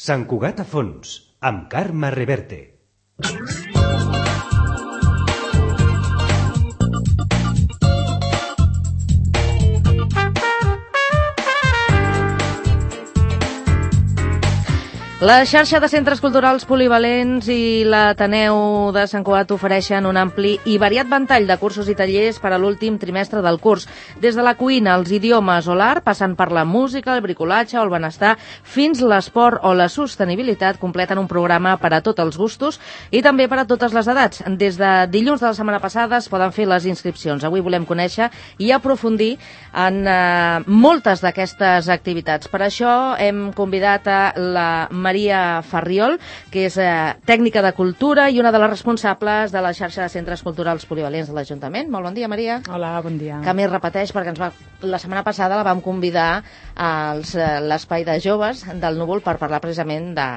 Sant Cugat a fons, amb Carme Reverte. La xarxa de centres culturals polivalents i l'Ateneu de Sant Cugat ofereixen un ampli i variat ventall de cursos i tallers per a l'últim trimestre del curs. Des de la cuina, els idiomes o l'art, passant per la música, el bricolatge o el benestar, fins l'esport o la sostenibilitat, completen un programa per a tots els gustos i també per a totes les edats. Des de dilluns de la setmana passada es poden fer les inscripcions. Avui volem conèixer i aprofundir en moltes d'aquestes activitats. Per això hem convidat a la Maria Farriol, que és tècnica de cultura i una de les responsables de la xarxa de centres culturals polivalents de l'Ajuntament. Molt bon dia, Maria. Hola, bon dia. Que més repeteix, perquè la setmana passada la vam convidar a l'espai de joves del Núvol per parlar precisament de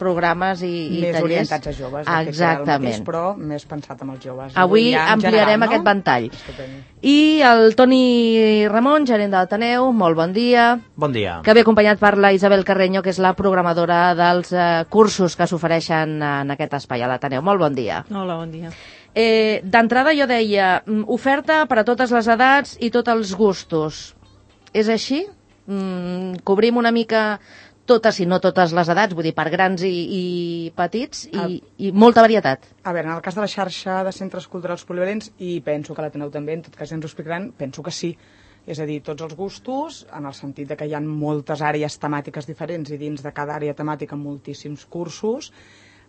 programes i més tallers. Més orientats a joves. Exactament. Mateix, però més pensat amb els joves. Avui ampliarem general, aquest ventall. I el Toni Ramon, gerent de l'Ateneu, molt bon dia. Bon dia. Que ve acompanyat per la Isabel Carreño, que és la programadora dels cursos que s'ofereixen en aquest espai a l'Ateneu. Molt bon dia. Hola, bon dia. D'entrada jo deia, oferta per a totes les edats i tots els gustos. És així? Cobrim una mica totes i no totes les edats, vull dir, per grans i petits, i molta varietat. A veure, en el cas de la xarxa de centres culturals polivalents, i penso que l'Ateneu també, en tot cas ja ens ho explicaran, penso que sí. És a dir, tots els gustos, en el sentit de que hi ha moltes àrees temàtiques diferents i dins de cada àrea temàtica moltíssims cursos.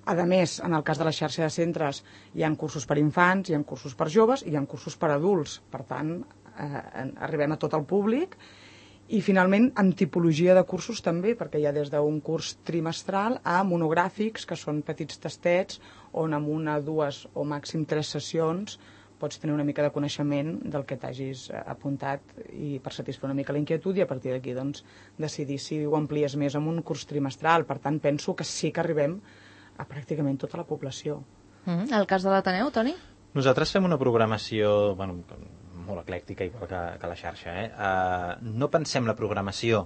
A més, en el cas de la xarxa de centres, hi ha cursos per infants, hi ha cursos per joves i hi ha cursos per adults. Per tant, arribem a tot el públic. I finalment amb tipologia de cursos també, perquè hi ha des d'un curs trimestral a monogràfics, que són petits tastets on amb una, dues o màxim 3 sessions pots tenir una mica de coneixement del que t'hagis apuntat i per satisfer una mica la inquietud i a partir d'aquí doncs, decidir si ho amplies més amb un curs trimestral. Per tant, penso que sí que arribem a pràcticament tota la població. El cas de l'Ateneu, Toni? Nosaltres fem una programació molt eclèctica, igual que la xarxa. No pensem la programació,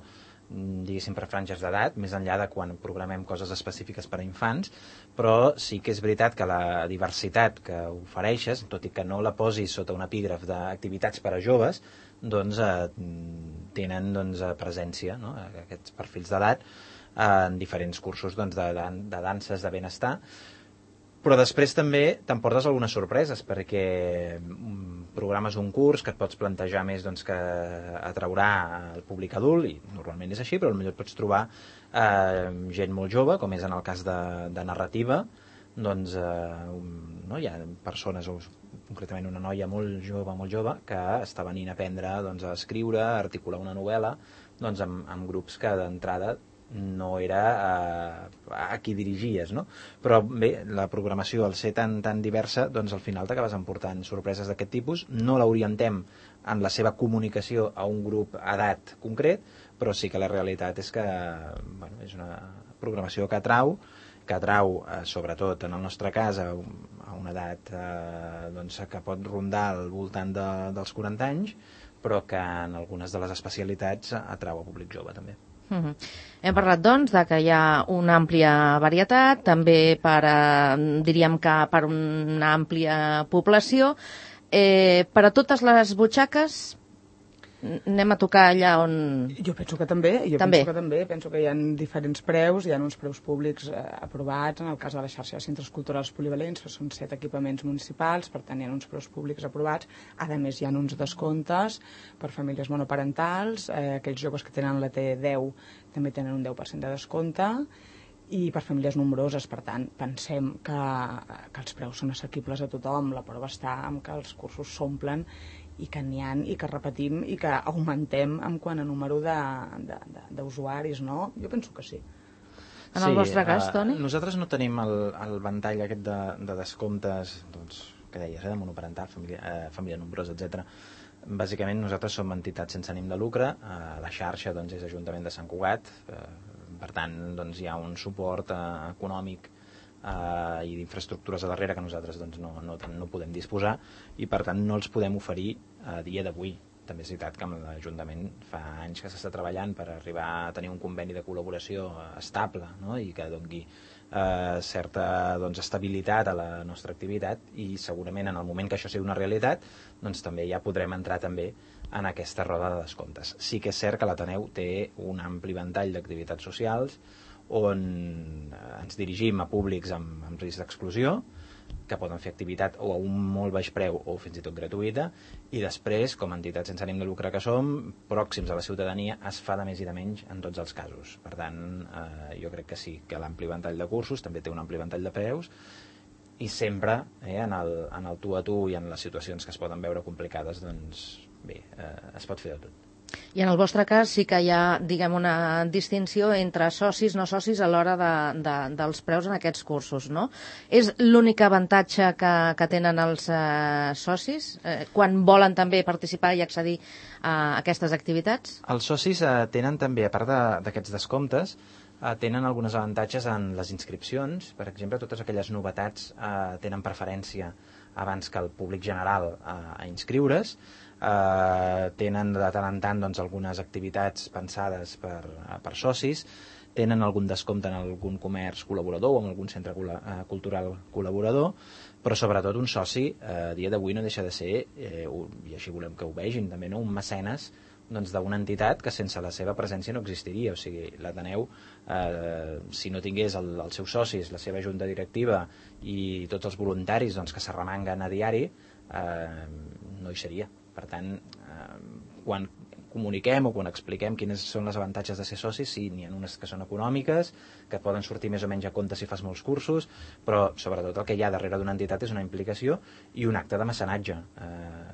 diguéssim, per franges d'edat, més enllà de quan programem coses específiques per a infants, però sí que és veritat que la diversitat que ofereixes, tot i que no la posis sota un epígraf d'activitats per a joves, doncs tenen presència, no? Aquests perfils d'edat en diferents cursos de danses de benestar. Però després també t'emportes algunes sorpreses, perquè programes un curs que et pots plantejar més que atraurà el públic adult, i normalment és així, però potser et pots trobar gent molt jove, com és en el cas de narrativa. Doncs hi ha persones, concretament una noia molt jove, que està venint a aprendre a escriure, a articular una novel·la, amb grups que d'entrada no era a qui dirigies, no? Però bé, la programació, al ser tan diversa, al final t'acabes emportant sorpreses d'aquest tipus. No l'orientem en la seva comunicació a un grup d'edat concret, però sí que la realitat és que és una programació que atrau, sobretot en el nostre cas, a una edat que pot rondar al voltant dels 40 anys, però que en algunes de les especialitats atrau a públic jove també. Hem parlat, doncs, de que hi ha una àmplia varietat, també diríem que per una àmplia població. Per a totes les butxaques anem a tocar allà on... Jo penso que també, penso que hi ha diferents preus, hi ha uns preus públics aprovats, en el cas de la xarxa de centres culturals polivalents, que són 7 equipaments municipals, per tant hi ha uns preus públics aprovats. A més hi ha uns descomptes per famílies monoparentals, aquells joves que tenen la T10 també tenen un 10% de descompte, i per famílies nombroses. Per tant, pensem que els preus són assequibles a tothom. La prova està en que els cursos s'omplen i que n'hi ha i que repetim i que augmentem en quant a número d'usuaris, no? Jo penso que sí. En el vostre cas, Toni? Nosaltres no tenim el ventall aquest de descomptes, que deies, de monoparental, família nombrosa, etc. Bàsicament nosaltres som entitats sense ànim de lucre, la xarxa és Ajuntament de Sant Cugat, per tant hi ha un suport econòmic i d'infraestructures a darrere que nosaltres no podem disposar, i per tant no els podem oferir a dia d'avui. també és veritat que amb l'Ajuntament fa anys que s'està treballant per arribar a tenir un conveni de col·laboració estable, no? I que doni certa estabilitat a la nostra activitat, i segurament en el moment que això sigui una realitat doncs també ja podrem entrar també en aquesta roda de descomptes. Sí que és cert que l'Ateneu té un ampli ventall d'activitats socials on ens dirigim a públics amb risc d'exclusió, que poden fer activitat o a un molt baix preu o fins i tot gratuïta, i després, com a entitat sense ànim de lucre que som, pròxims a la ciutadania, es fa de més i de menys en tots els casos. Per tant, jo crec que sí, que l'ampli ventall de cursos també té un ampli ventall de preus, i sempre en el tu a tu i en les situacions que es poden veure complicades, doncs bé, es pot fer de tot. I en el vostre cas sí que hi ha, diguem, una distinció entre socis, no socis a l'hora dels preus en aquests cursos, no? És l'únic avantatge que tenen els socis quan volen també participar i accedir a aquestes activitats? Els socis tenen també, a part d'aquests descomptes, tenen alguns avantatges en les inscripcions. Per exemple, totes aquelles novetats tenen preferència abans que el públic general a inscriure's. Tenen de tant en tant algunes activitats pensades per socis, tenen algun descompte en algun comerç col·laborador o en algun centre cultural col·laborador, però sobretot un soci a dia d'avui no deixa de ser, i així volem que ho vegin també, un mecenes d'una entitat que sense la seva presència no existiria. O sigui, l'Ateneu, si no tingués els seus socis, la seva junta directiva i tots els voluntaris que s'arremanguen a diari, no hi seria. Per tant, quan comuniquem o quan expliquem quines són les avantatges de ser socis, sí, n'hi ha unes que són econòmiques, que et poden sortir més o menys a compte si fas molts cursos, però sobretot el que hi ha darrere d'una entitat és una implicació i un acte de mecenatge.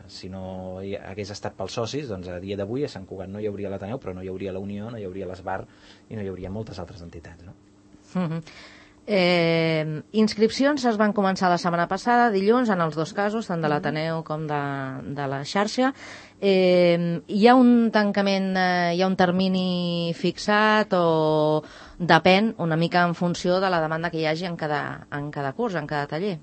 Si no hagués estat pels socis, doncs a dia d'avui a Sant Cugat no hi hauria l'Ateneu, però no hi hauria la Unió, no hi hauria l'Esbar i no hi hauria moltes altres entitats, no? Inscripcions es van començar la setmana passada, dilluns, en els dos casos, tant de l'Ateneu com de la xarxa. Hi ha un tancament, hi ha un termini fixat o depèn una mica en funció de la demanda que hi hagi en cada curs, en cada taller?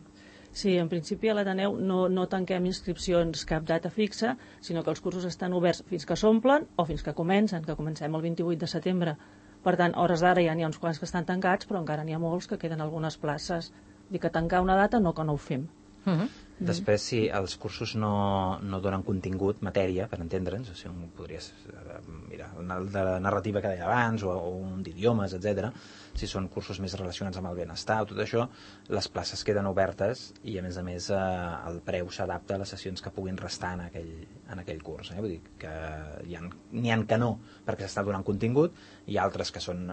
Sí, en principi a l'Ateneu no tanquem inscripcions cap data fixa, sinó que els cursos estan oberts fins que s'omplen o fins que comencen, que comencem el 28 de setembre. Per tant, a hores d'ara ja n'hi ha uns quants que estan tancats, però encara n'hi ha molts que queden algunes places. Dic que tancar una data no, que no ho fem. Després, si els cursos no donen contingut, matèria, per entendre'ns, o sigui, podries mirar de la narrativa que deia abans, o un d'idiomes, etc. Si són cursos més relacionats amb el benestar o tot això, les places queden obertes i, a més, el preu s'adapta a les sessions que puguin restar en aquell curs. Vull dir que n'hi ha que no, perquè s'està donant contingut, i altres que són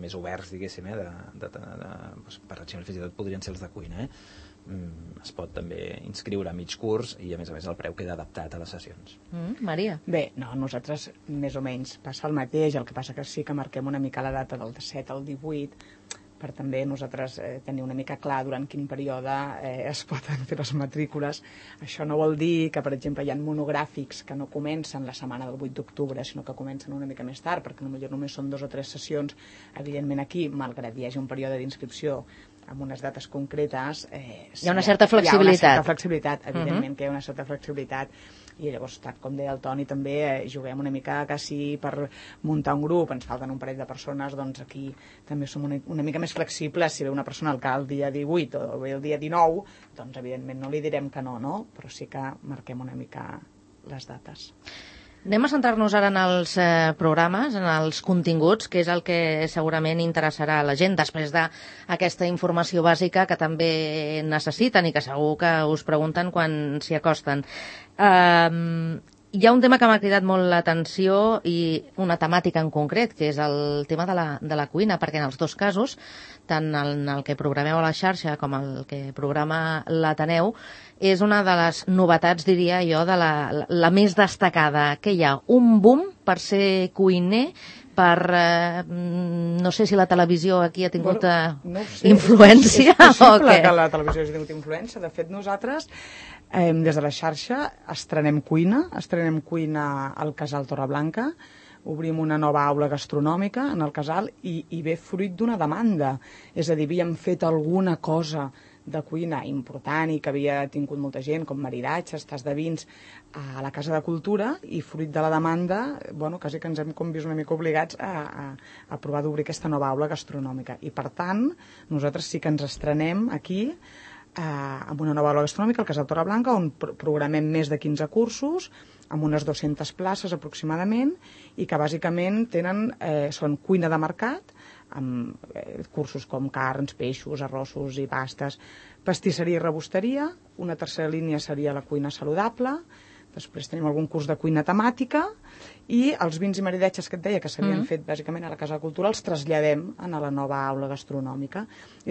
més oberts, diguéssim, per exemple, fins i tot podrien ser els de cuina, es pot també inscriure a mig curs i a més el preu queda adaptat a les sessions. Maria? Bé, no, nosaltres més o menys passa el mateix, el que passa que sí que marquem una mica la data del 17 al 18 per també nosaltres tenir una mica clar durant quin període es poden fer les matrícules. Això no vol dir que, per exemple, hi ha monogràfics que no comencen la setmana del 8 d'octubre, sinó que comencen una mica més tard, perquè potser només són 2 o 3 sessions. Evidentment aquí, malgrat hi hagi un període d'inscripció amb unes dates concretes... Hi ha una certa flexibilitat. Hi ha una certa flexibilitat, evidentment que hi ha una certa flexibilitat. I llavors, com deia el Toni, també juguem una mica que si per muntar un grup ens falten un parell de persones, doncs aquí també som una mica més flexibles. Si ve una persona el dia 18 o ve el dia 19, doncs evidentment no li direm que no, però sí que marquem una mica les dates. Anem a centrar-nos ara en els programes, en els continguts, que és el que segurament interessarà a la gent després d'aquesta informació bàsica que també necessiten i que segur que us pregunten quan s'hi acosten. Hi ha un tema que m'ha cridat molt l'atenció i una temàtica en concret, que és el tema de la cuina, perquè en els dos casos, tant en el que programeu a la xarxa com el que programa l'Ateneu, és una de les novetats, diria jo, de la més destacada, que hi ha un boom per ser cuiner, no sé si la televisió aquí ha tingut influència. És possible que la televisió hagi tingut influència. De fet, nosaltres, des de la xarxa, estrenem cuina al Casal Torreblanca, obrim una nova aula gastronòmica en el casal i ve fruit d'una demanda. És a dir, havíem fet alguna cosa de cuina important i que havia tingut molta gent, com maridatges, tas de vins, a la Casa de Cultura, i fruit de la demanda, quasi que ens hem vist una mica obligats a provar d'obrir aquesta nova aula gastronòmica. I per tant, nosaltres sí que ens estrenem aquí amb una nova aula gastronòmica al Casal Torreblanca, on programem més de 15 cursos, amb unes 200 places aproximadament, i que bàsicament són cuina de mercat, amb cursos com carns, peixos, arrossos i pastes, pastisseria i rebosteria. Una tercera línia seria la cuina saludable. Després tenim algun curs de cuina temàtica, i els vins i maridatges que et deia que s'havien fet bàsicament a la Casa de Cultura els traslladem a la nova aula gastronòmica.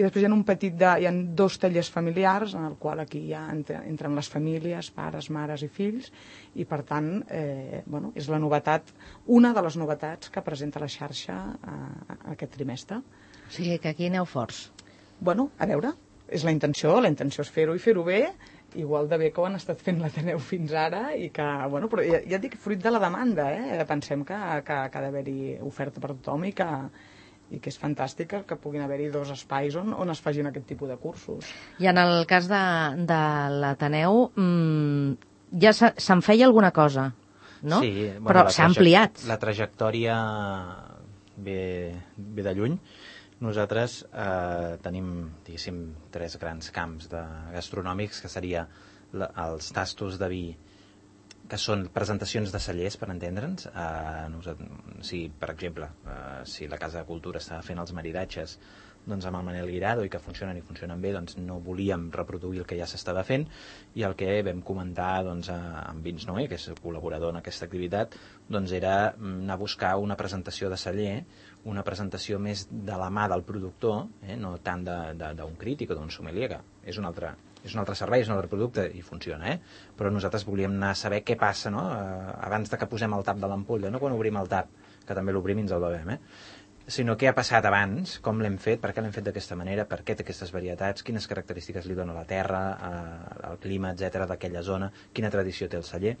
I després hi ha 2 tallers familiars en el qual aquí ja entren les famílies, pares, mares i fills, i per tant és la novetat, una de les novetats que presenta la xarxa aquest trimestre. O sigui que aquí aneu forts. A veure, és la intenció és fer-ho i fer-ho bé, igual de bé que ho han estat fent l'Ateneu fins ara, i que, però ja et dic, fruit de la demanda, pensem que ha d'haver-hi oferta per tothom i que és fantàstic que puguin haver-hi 2 espais on es facin aquest tipus de cursos. I en el cas de l'Ateneu, ja se'n feia alguna cosa, no? Sí, però s'ha ampliat. La trajectòria ve de lluny. Nosaltres tenim, diguéssim, 3 grans camps gastronòmics, que seria els tastos de vi, que són presentacions de cellers, per entendre'ns. Per exemple, si la Casa de Cultura estava fent els maridatges amb el Manel Guirado i que funcionen bé, doncs no volíem reproduir el que ja s'estava fent, i el que vam comentar amb Vins Noé, que és col·laborador en aquesta activitat, era anar a buscar una presentació de celler, una presentació més de la mà del productor, no tant d'un crític o d'un sommelier, que és un altre servei, és un altre producte i funciona, però nosaltres volíem anar a saber què passa, abans de que posem el tap de l'ampolla, no quan obrim el tap, que també l'obrim i ens el bevem, sinó què ha passat abans, com l'hem fet, per què l'hem fet d'aquesta manera, per què té aquestes varietats, quines característiques li dona la terra, el clima, etc d'aquella zona, quina tradició té el celler,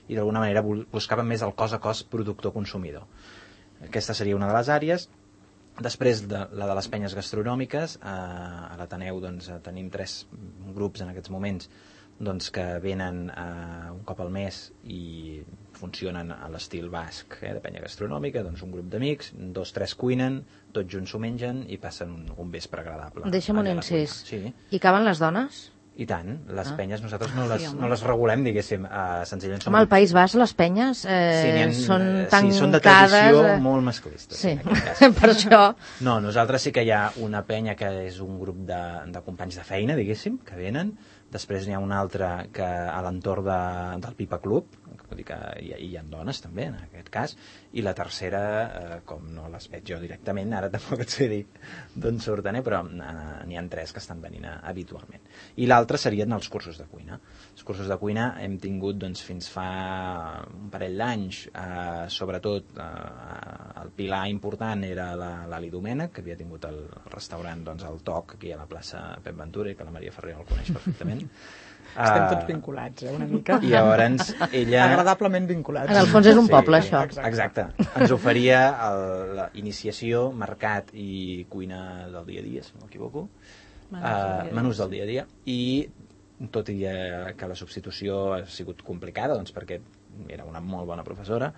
i d'alguna manera buscàvem més el cos a cos productor-consumidor. Aquesta seria una de les àrees. Després, la de les penyes gastronòmiques, a l'Ateneu tenim 3 grups en aquests moments que venen un cop al mes i funcionen a l'estil basc, de penya gastronòmica, un grup d'amics, 2-3 cuinen, tots junts s'ho mengen i passen un vespre agradable. Deixa'm un incís. Sí. I caben les dones? I tant, les penyes nosaltres no les regulem, diguéssim, senzillament. Al País Basc les penyes són tancades... Sí, són de tradició molt masclistes. Sí, per això... No, nosaltres sí que hi ha una penya que és un grup de companys de feina, diguéssim, que venen. Després n'hi ha una altra que a l'entorn del Pipa Club, vull dir que hi ha dones també, en aquest cas, i la tercera, com no les veig jo directament, ara tampoc et sé dir d'on surten, però n'hi ha 3 que estan venint habitualment. I l'altra serien els cursos de cuina. Els cursos de cuina hem tingut fins fa un parell d'anys, sobretot el pilar important era l'Ali Domènech, que havia tingut el restaurant El Toc, aquí a la plaça Pep Ventura, i que la Maria Ferrer el coneix perfectament. Estem tots vinculats, una mica. I llavors ella... Agradablement vinculats. En el fons és un poble, això. Exacte. Ens oferia la iniciació, mercat i cuina del dia a dia, si no m'equivoco. Menús del dia a dia. I tot i que la substitució ha sigut complicada, perquè era una molt bona professora,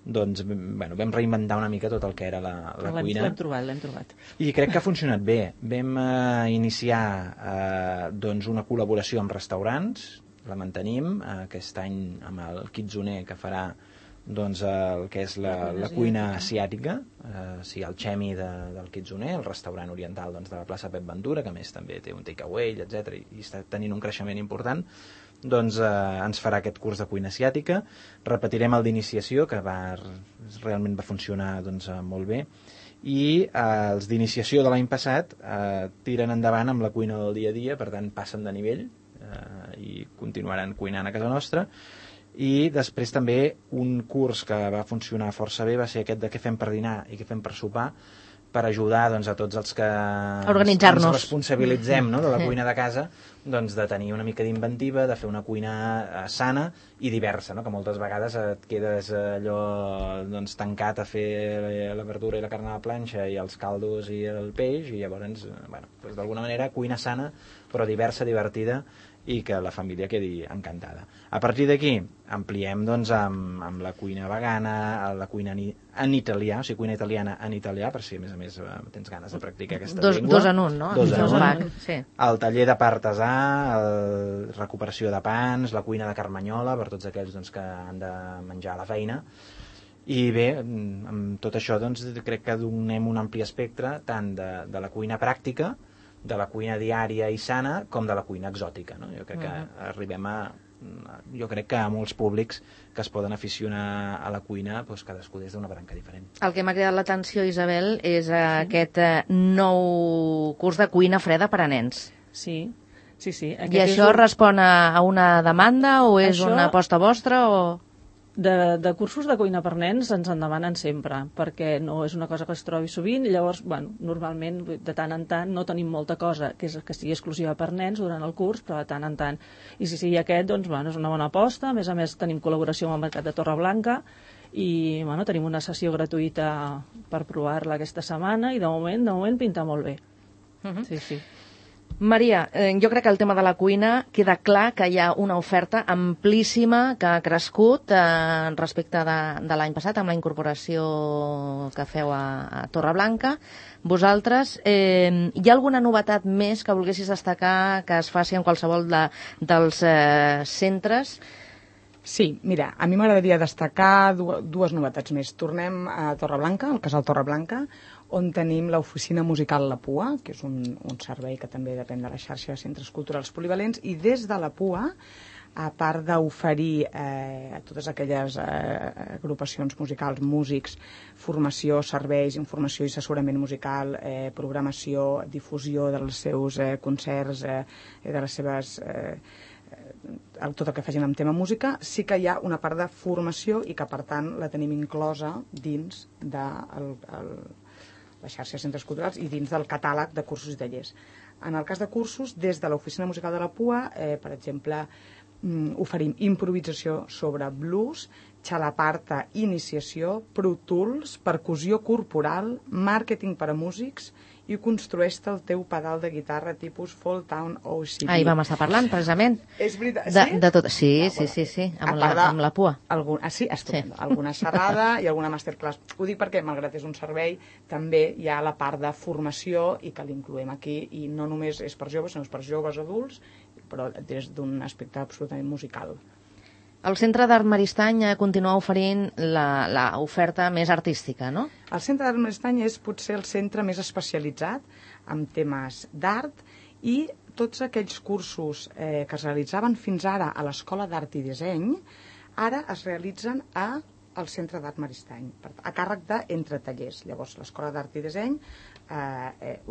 vam reinventar una mica tot el que era la cuina. L'hem trobat. I crec que ha funcionat bé. Vam iniciar una col·laboració amb restaurants, la mantenim aquest any amb el Kitsuné, que farà el que és la cuina asiàtica, el Chemi del Kitsuné, el restaurant oriental de la plaça Pep Ventura, que a més també té un takeaway, etc. i està tenint un creixement important. Ens farà aquest curs de cuina asiàtica. Repetirem el d'iniciació, que realment va funcionar molt bé, i els d'iniciació de l'any passat tiren endavant amb la cuina del dia a dia, per tant passen de nivell i continuaran cuinant a casa nostra. I després també un curs que va funcionar força bé va ser aquest de què fem per dinar i què fem per sopar, per ajudar doncs, a tots els que organitzar-nos. ens responsabilitzem, no?, de la cuina de casa, doncs, de tenir una mica d'inventiva, de fer una cuina sana i diversa, no?, que moltes vegades et quedes allò doncs, tancat a fer la verdura i la carn a la planxa i els caldos i el peix, i llavors, bueno, doncs, d'alguna manera, cuina sana, però diversa, divertida, i que la família quedi encantada. A partir d'aquí ampliem doncs, amb la cuina vegana, la cuina en italià, o sigui, cuina italiana en italià, per si a més tens ganes de practicar aquesta llengua. Dos en un, no? Dos en un. Sí. El taller de pa artesà, la recuperació de pans, la cuina de carmanyola, per tots aquells doncs, que han de menjar a la feina. I bé, amb tot això doncs, crec que donem un ampli espectre tant de la cuina pràctica, de la cuina diària i sana, com de la cuina exòtica, no? Jo crec que arribem jo crec que a molts públics que es poden aficionar a la cuina, doncs cadascú des d'una branca diferent. El que m'ha cridat l'atenció, Isabel, és aquest nou curs de cuina freda per a nens. Sí. I això respon a una demanda o és una aposta vostra o...? De cursos de cuina per nens ens en demanen sempre, perquè no és una cosa que es trobi sovint, llavors, bueno, normalment, de tant en tant, no tenim molta cosa que sigui exclusiva per nens durant el curs, però de tant en tant. I si sigui aquest, doncs, bueno, és una bona aposta. A més, tenim col·laboració amb el Mercat de Torreblanca i, bueno, tenim una sessió gratuïta per provar-la aquesta setmana i, de moment pinta molt bé. Sí. Maria, jo crec que el tema de la cuina queda clar que hi ha una oferta amplíssima que ha crescut respecte de l'any passat amb la incorporació que feu a Torreblanca. Vosaltres, hi ha alguna novetat més que volguessis destacar que es faci en qualsevol dels centres? Sí, mira, a mi m'agradaria destacar dues novetats més. Tornem a Torreblanca, al Casal Torreblanca, on tenim l'oficina musical La Pua, que és un servei que també depèn de la xarxa de centres culturals polivalents, i des de La Pua, a part d'oferir a totes aquelles agrupacions musicals, músics, formació, serveis, informació i assessorament musical, programació, difusió dels seus concerts, de les seves... tot el que facin amb tema música, sí que hi ha una part de formació i que, per tant, la tenim inclosa dins de la xarxa de centres culturals i dins del catàleg de cursos i tallers. En el cas de cursos, des de l'Oficina Musical de la Pua, per exemple, oferim improvisació sobre blues, xalaparta, iniciació, Pro Tools, percussió corporal, màrqueting per a músics i construeix-te el teu pedal de guitarra tipus Fall Town OCD. Ahir vam estar parlant, precisament. És veritat, sí? De tot, sí, amb la Pua. Sí, estupendo. Alguna xerrada i alguna masterclass. Ho dic perquè, malgrat és un servei, també hi ha la part de formació i que l'incloem aquí, i no només és per joves, sinó és per joves adults, però des d'un aspecte absolutament musical. El Centre d'Art Maristany continua oferint l'oferta més artística, no? El Centre d'Art Maristany és potser el centre més especialitzat en temes d'art i tots aquells cursos que es realitzaven fins ara a l'Escola d'Art i Disseny ara es realitzen al Centre d'Art Maristany, a càrrec d'Entre Tallers. Llavors, l'Escola d'Art i Disseny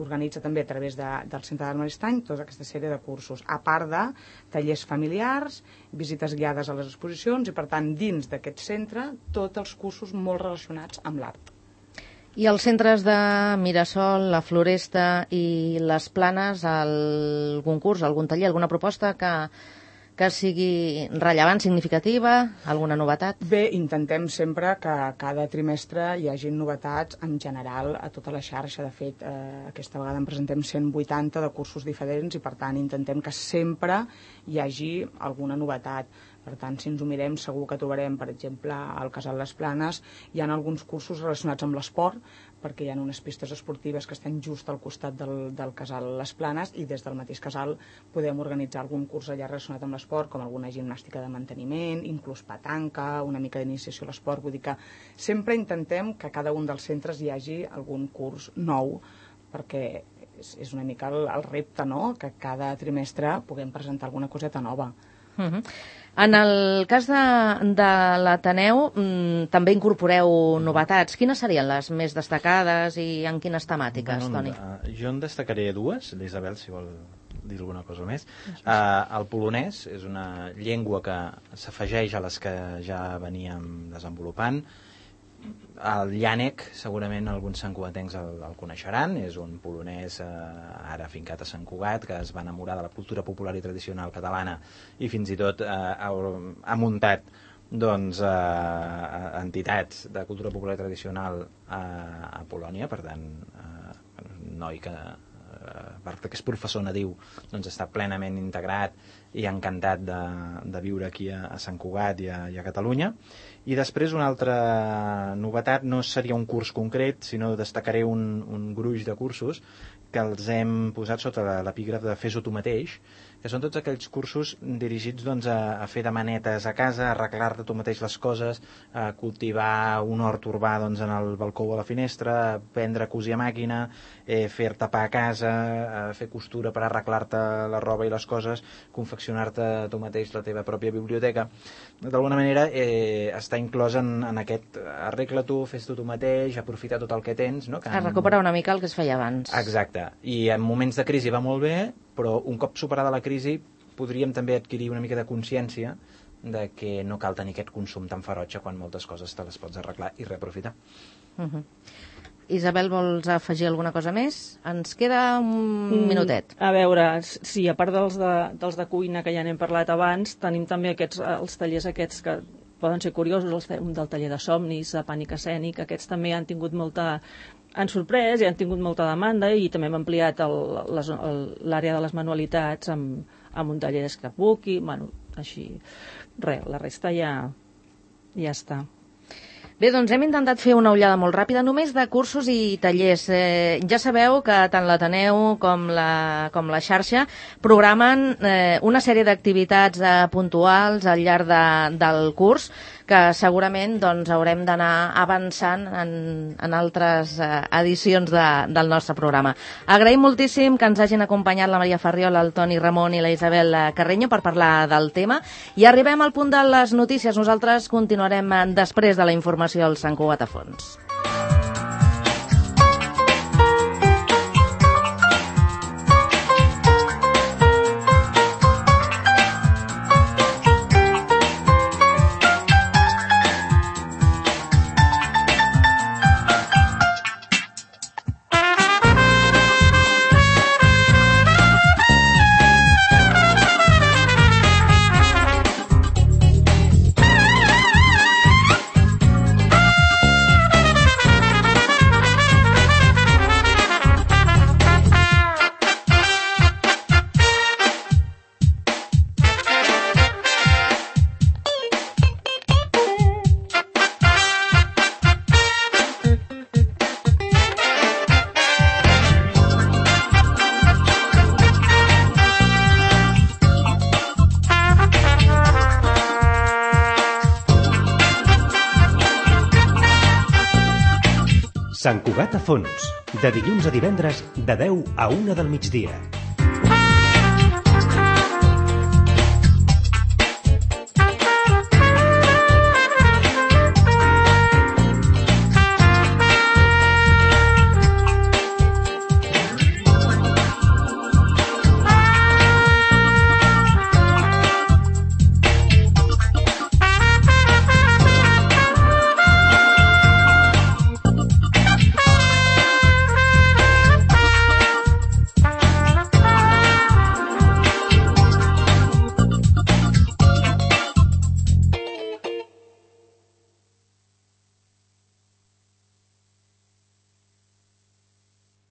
organitza també a través del Centre d'Art Maristany tota aquesta sèrie de cursos, a part de tallers familiars, visites guiades a les exposicions i, per tant, dins d'aquest centre, tots els cursos molt relacionats amb l'art. I els centres de Mirasol, la Floresta i les Planes, algun curs, algun taller, alguna proposta que sigui rellevant, significativa, alguna novetat? Bé, intentem sempre que cada trimestre hi hagi novetats en general a tota la xarxa. De fet, aquesta vegada en presentem 180 de cursos diferents i, per tant, intentem que sempre hi hagi alguna novetat. Per tant, si ens ho mirem, segur que trobarem, per exemple, al Casal Les Planes, hi ha alguns cursos relacionats amb l'esport, perquè hi ha unes pistes esportives que estan just al costat del Casal Les Planes i des del mateix casal podem organitzar algun curs allà relacionat amb l'esport, com alguna gimnàstica de manteniment, inclús petanca, una mica d'iniciació a l'esport. Vull dir que sempre intentem que a cada un dels centres hi hagi algun curs nou, perquè és una mica el repte, no?, que cada trimestre puguem presentar alguna coseta nova. En el cas de l'Ateneu també incorporeu novetats. Quines serien les més destacades i en quines temàtiques, Toni? Jo en destacaré dues, l'Isabel, si vol dir alguna cosa més. El polonès és una llengua que s'afegeix a les que ja veníem desenvolupant. El Llànec, segurament alguns santcugatencs el coneixeran, és un polonès ara fincat a Sant Cugat, que es va enamorar de la cultura popular i tradicional catalana i fins i tot ha muntat entitats de cultura popular i tradicional a Polònia, per tant, un noi que perquè és professor nadiu, doncs està plenament integrat i encantat de viure aquí a Sant Cugat i a Catalunya. I després una altra novetat no seria un curs concret, sinó destacaré un gruix de cursos que els hem posat sota l'epígraf de Fes-ho tu mateix, que són tots aquells cursos dirigits doncs, a fer de manetes a casa, a arreglar-te tu mateix les coses, a cultivar un hort urbà doncs, en el balcó o a la finestra, a aprendre a cosir a màquina, fer-te pa a casa, a fer costura per arreglar-te la roba i les coses, confeccionar-te tu mateix la teva pròpia biblioteca. D'alguna manera està inclòs en aquest arregla tu, fes-t'ho tu mateix, aprofita tot el que tens. No? A recuperar una mica el que es feia abans. Exacte. I en moments de crisi va molt bé, però un cop superada la crisi podríem també adquirir una mica de consciència de que no cal tenir aquest consum tan ferotge quan moltes coses te les pots arreglar i reaprofitar. Isabel, vols afegir alguna cosa més? Ens queda un minutet. A veure, sí, a part dels de cuina que ja n'hem parlat abans, tenim també els tallers aquests que poden ser curiosos, un del taller de somnis, de pànic escènic, aquests també han sorprès i han tingut molta demanda i també hem ampliat l'àrea de les manualitats amb un taller d'scrapbook i, bueno, així, res, la resta ja està. Bé, doncs hem intentat fer una ullada molt ràpida només de cursos i tallers. Ja sabeu que tant l'Ateneu com la xarxa programen una sèrie d'activitats puntuals al llarg del curs que segurament doncs, haurem d'anar avançant en altres edicions del nostre programa. Agraïm moltíssim que ens hagin acompanyat la Maria Farriola, el Toni Ramon i la Isabel Carreño per parlar del tema i arribem al punt de les notícies. Nosaltres continuarem després de la informació al Sant Cugat a fons. Sant Cugat a fons, de dilluns a divendres, de 10 a 1 del migdia.